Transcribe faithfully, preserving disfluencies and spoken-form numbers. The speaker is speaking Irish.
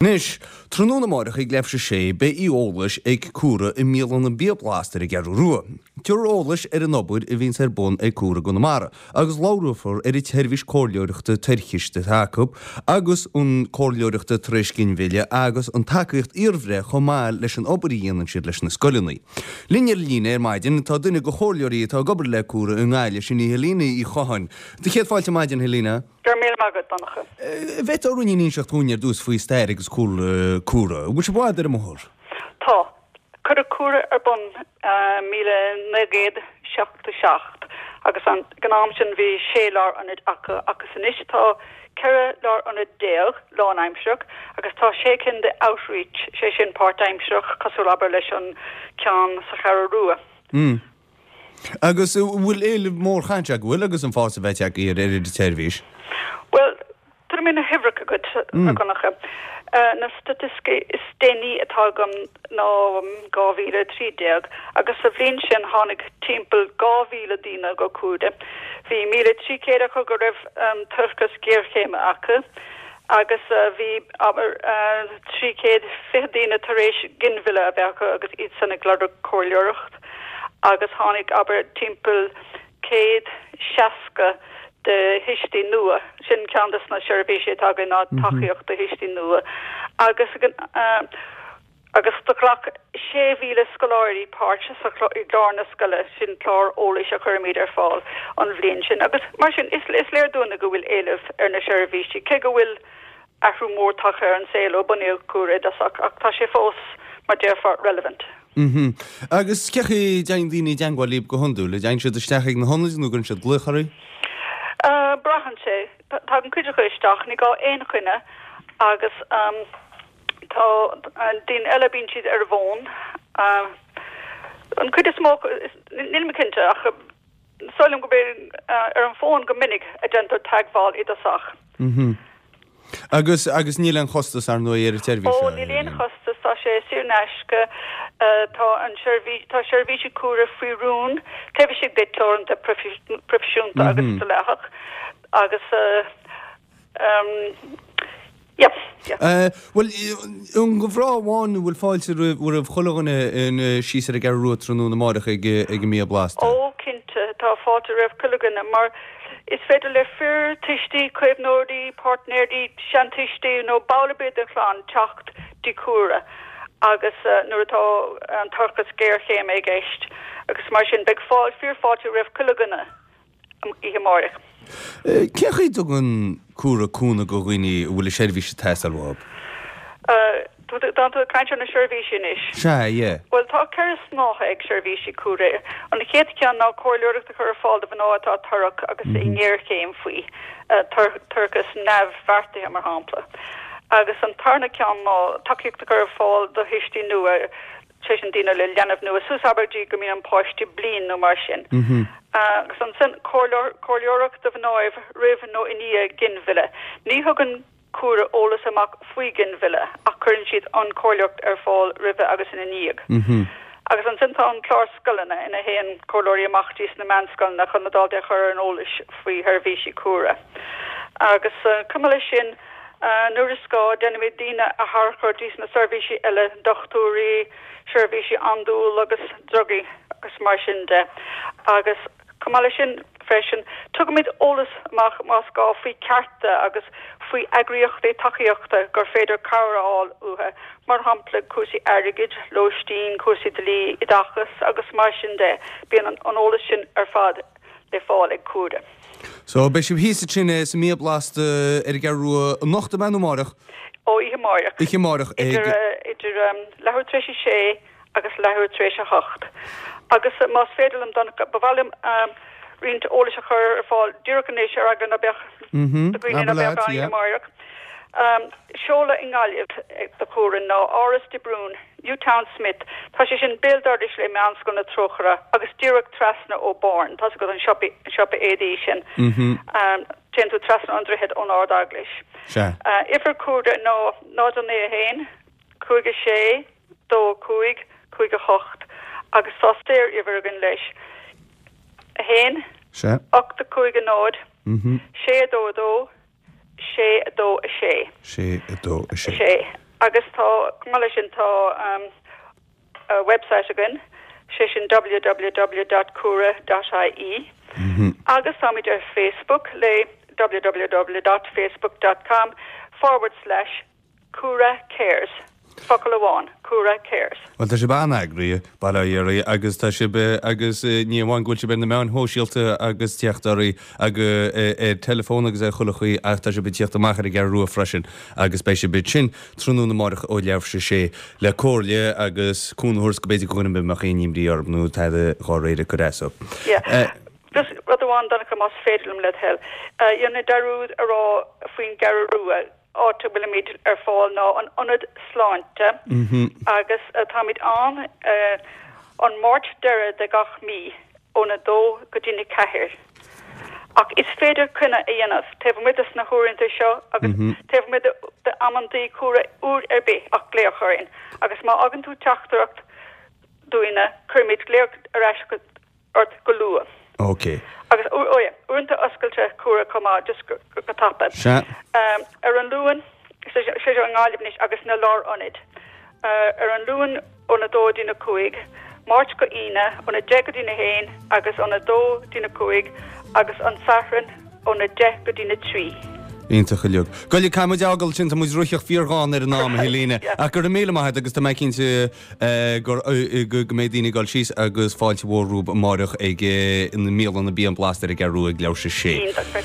Anois, tráthnóna amárach ag leathuair tar éis a sé, beidh oíche eolais ag Cúra i mbialann an Bia Blasta ar an gCeathrú Rua. Tabharfar eolas ar an obair a bhíonns ar bun ag Cúra i gConamara agus labhrófar ar an tseirbhís comhairleoireachta toirchis atá acu agus an comhairleoireachta tar éis ginmhilleadh agus an tacaíocht iarbhreith chomh maith leis an obair a dhéanann siad leis na scoileanna. Linn ar líne ar maidin tá duine de chomhairleoirí atá ag obair le Cúra i nGaillimh, sin í Helena Uí Chatháin. Do chéad fáilte ar maidin, Helena. Go raibh míle maith agat, Donncha. An bhféadfá ruainnín a inseacht dhúinn ar dtús faoi stair agus cúlra Cúra. An bhfuil sibh i bhfad ar an mbóthar? Tá. Cuireadh Cúra ar bun míle naoi gcéad seachtó seacht agus ag an am sin bhí sé lárionad acu agus anois tá ceithre lárionad déag lánaimsearach agus tá sé cinn de outreach, sé sin páirtaimsearach cosúil abair leis an ceann sa Cheathrú Rua. Mm. Agus an bhfuil éileamh mór chaint go bhfuil agus an fás a bheith aige ar ar an tseirbhís? Well, tá mé na huimhreacha agat a Dhonncha. Na staitisticí is déanaí atá agam ná dhá mhíle a trí déag agus sa bhliain sin tháinig timpeall dhá mhíle daoine go Cúra. Bhí míle trí chéad acu go raibh toircheas géarchéime acu agus bhí abair trí chéad fiche daoine tar éis ginmhilleadh a bheith acu agus iad san ag lorg comhairleoireacht. Agus tháinig abair timpeall céad seasca de thuistí nua, sin ceann de na seirbhísí atá againn ná tacaíocht do thuistí nua, agus agus do ghlac sé mhíle scoláirí páirt sa i gclár na scoile, sin clár eolais a chuirimid ar fáil an bhliain sin. Agus mar sin is is léir dúinne go bhfuil éileamh ar na seirbhísí, cé go bhfuil athrú mór tagtha ar an saol ó bunaíodh Cúra i dtosach, ach tá sé fós, mar déarfá, relevant. Mhm. Agus cén chaoi a dtéann daoine i dteangmháil libh go hiondúil? An dtéann siad isteach ag na hionaid nó gcuireann siad glaoch oraibh? Braitheann sé. Tagann cuid acu isteach, ní gá aon choinne agus tá daoine eile bíonn siad ar an bhfón. An cuid is mó, níl mé cinnte ach is dóigh liom gurb é ar an bhfón go minic a déantar teagmháil i dtosach. Mhm. Agus, agus níl aon chostas ar ndóigh ar an tseirbhís Ó, seo, níl aon chostas, tá sé saor in aisce. Tá an seirbhís, tá seirbhísí Cúra faoi rún taobh istigh de teoranta proifisiúnta agus dleathach agus yeah, yeah. Bhuel, an do mhná amháin an bhfuil fáilte roimh roimh chuile dhuine in síos ar an gCeathrú Rua tráthnóna amárach ag ag an mbia blasta? Ó, cinnte, tá fáilte roimh chuile dhuine mar is féidir le fir, tuistí, caomhnóirí, páirtnéirí, seantuistí nó ball ar bith den chlann teacht dtí Cúra agus nuair atá an toircheas géarchéime i gceist agus mar sin beidh fáil fíorfháilte roimh chuile dhuine oíche amárach. Cén chaoi a dtugann Cúra cúnamh do dhaoine a bhfuil a seirbhís ag teastáil uathu? Tá tú ag caint ar na seirbhísí anois? Sea, yeah. Bhuel, tá ceithre shnáithe ag seirbhísí Cúra. An chéad cheann ná comhairleoireacht a chur ar fáil do mhná atá torrach agus i ngéarchéim faoi toircheas neamhbheartaithe, mar shampla. Agus an tarna ceann ná tacaíocht a chur ar fáil do thuistí nua, sé sin daoine le leanbh nua, suas abair go dtí go mbíonn an páiste bliain nó mar sin. Agus ansin comhairleoireacht do mhnáibh roimh nó i ndiaidh ginmhilleadh. Ní thugann Cúra eolas amach faoi ghinmhilleadh ach cuireann siad an chomhairleoireacht ar fáil roimhe agus ina ndiaidh. Agus ansin tá an clár scoileanna ina théann comhairleoirí amach dtí sna meánscoileanna chun na daltaí a chur ar an eolais faoi sheirbhísí Cúra. Agus chomh maith leis sin, nuair is gá, déanaimid daoine a tharchur dtí sna seirbhísí eile, dochtúirí, seirbhísí andúil agus drugaí agus mar sin de. Agus. Chomh maith leis sin freisin, tugaimid eolas amach más gá faoi chearta agus faoi eagraíochtaí tacaíochta gur féidir cabhair a fháil uathu, mar shampla cúrsaí airgid, lóistín, cúrsaí dlí, oideachas agus mar sin de. Bíonn an eolas sin ar fad le fáil ag Cúra. So, beidh sibh thíos ansin sa mBia Blasta ar an gCeathrú Rua anocht ab ea nó amárach? Ó, oíche amárach. Oíche amárach ag. Idir, idir leathuair tar éis a sé agus leathuair tar éis a hocht. Agus más féidir liom, Donncha, ba mhaith liom roinnt eolais a chur ar fáil díreach anois ar eagla ná beadh do dhaoine ná beadh ann amárach. Seoladh i nGaillimh do Chúra ná Áras de Brún, Newtownsmith. Tá sé sin béal dorais le Meánscoil na Trócaire agus díreach trasna ó Born. Tá's agat an siopa, an siopa éadaí sin. Téann tú trasna an droichead ón Ard-Eaglais. Uimhir Cúra ná náid a naoi a haon, cúig a sé, dó a cúig, cúig a hocht agus tá saor-uimhir againn leis, a haon, ocht a cúig a náid, sé a dó a dó, sé a dó a sé. sé a dó a sé. sé. Agus tá chomh maith leis sin tá um, a website againn, sé sin www.cura.ie mm -hmm. agus táimid ar Facebook le www.facebook.com forward slash Cura Cares. Focal amháin Cura Cares. Well tá sibh an-eagraithe bail ó Dhia oraibh agus tá sibh agus ní amháin go bhfuil sibh ar na meáin shóisialta agus teacht oraibh agus ar telefón agus ar chuile chaoi ach tá sibh ag tíocht amach ar an gCeathrú Rua freisin agus beidh sibh ansin tráthnóna amárach ó leathuair tar éis a sé le comhairle agus cúnamh a thabhairt go b'fhéidir go mbeadh aon imní orthu nó tada dhá réir go so. Yeah. Just rud amháin Donncha más féidir liom le thoil. Rinne dearúd a rá faoin gCeathrú Rua áit a bhfuilimid ar fáil ná an ionad sláinte mm -hmm. agus uh, táimid ann uh, an Máirt deiridh de gach mí óna dó go dtí na ceathair. Ach is féidir coinne a dhéanamh taobh amuigh de na huaireanta seo agus mm -hmm. taobh amuigh de amantaí Cúra uair ar bith ach glaoch orainn. agus má fhágann tú teachtaireacht dúinne cuirfimid glaoch ar ais ort go luath. Ok. Agus uaireanta oscailte Cúra chomh maith just go, go, go tapa. Um, ar an Luan sé seo i nGaillimh agus na lárionaid. Uh, ar an Luan óna dó go dtí na cúig, Máirt go hAoine óna deich go dtí na haon agus óna dó go dtí na cúig agus an Satharn óna deich go dtí na trí. Iontach uilig. Goile camuid ágal sin muid ruiseach fíorgháin ar an am Helena ach go raibh míle maith agus tá mé cinnte go go mbeidh daoine ag dul síos agus fáilte mhór rompu amárach ag na mbialanna Bia Blasta ar an gCeathrú Rua ag leathuair tar éis a sé.